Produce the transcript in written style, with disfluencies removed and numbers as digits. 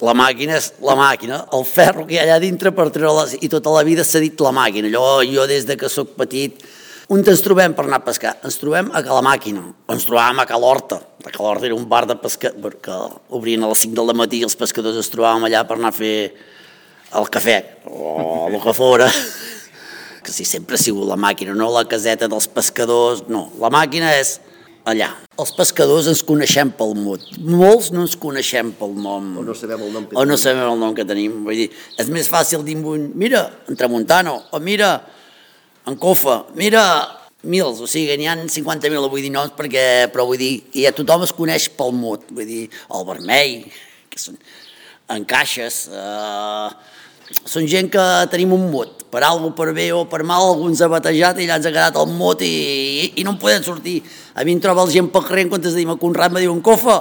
La màquina és la màquina, el ferro que hi ha allà dintre per treure-les, i tota la vida s'ha dit la màquina. Allò, jo des de que sóc petit, on ens trobem per anar a pescar? Ens trobem a Ca la Màquina, ens trobàvem a Ca l'Horta. A Ca l'Horta era un bar de pescar, que obrien a les 5 del matí i els pescadors ens trobàvem allà per anar a fer el cafè, o el que fora. Que si sempre ha sigut la màquina, no la caseta dels pescadors, no. La màquina és allà. Els pescadors ens coneixem pel mot. Molts no ens coneixem pel nom. O no sabem el nom que tenim. O no sabem el nom que tenim. Vull dir, és més fàcil dir mira, en Tramuntano, o mira, en Cofa, mira, mils, o sigui, n'hi ha 50.000, vull dir noms, però vull dir, ja tothom es coneix pel mot. Vull dir, el vermell, que són en caixes, són gent que tenim un mot, per alguna per bé o per mal, algú ens ha batejat i allà ens ha quedat el mot i no en podem sortir. A mi em troba la gent pel carrer, en comptes de dir-me Conrad, me diuen Cofa,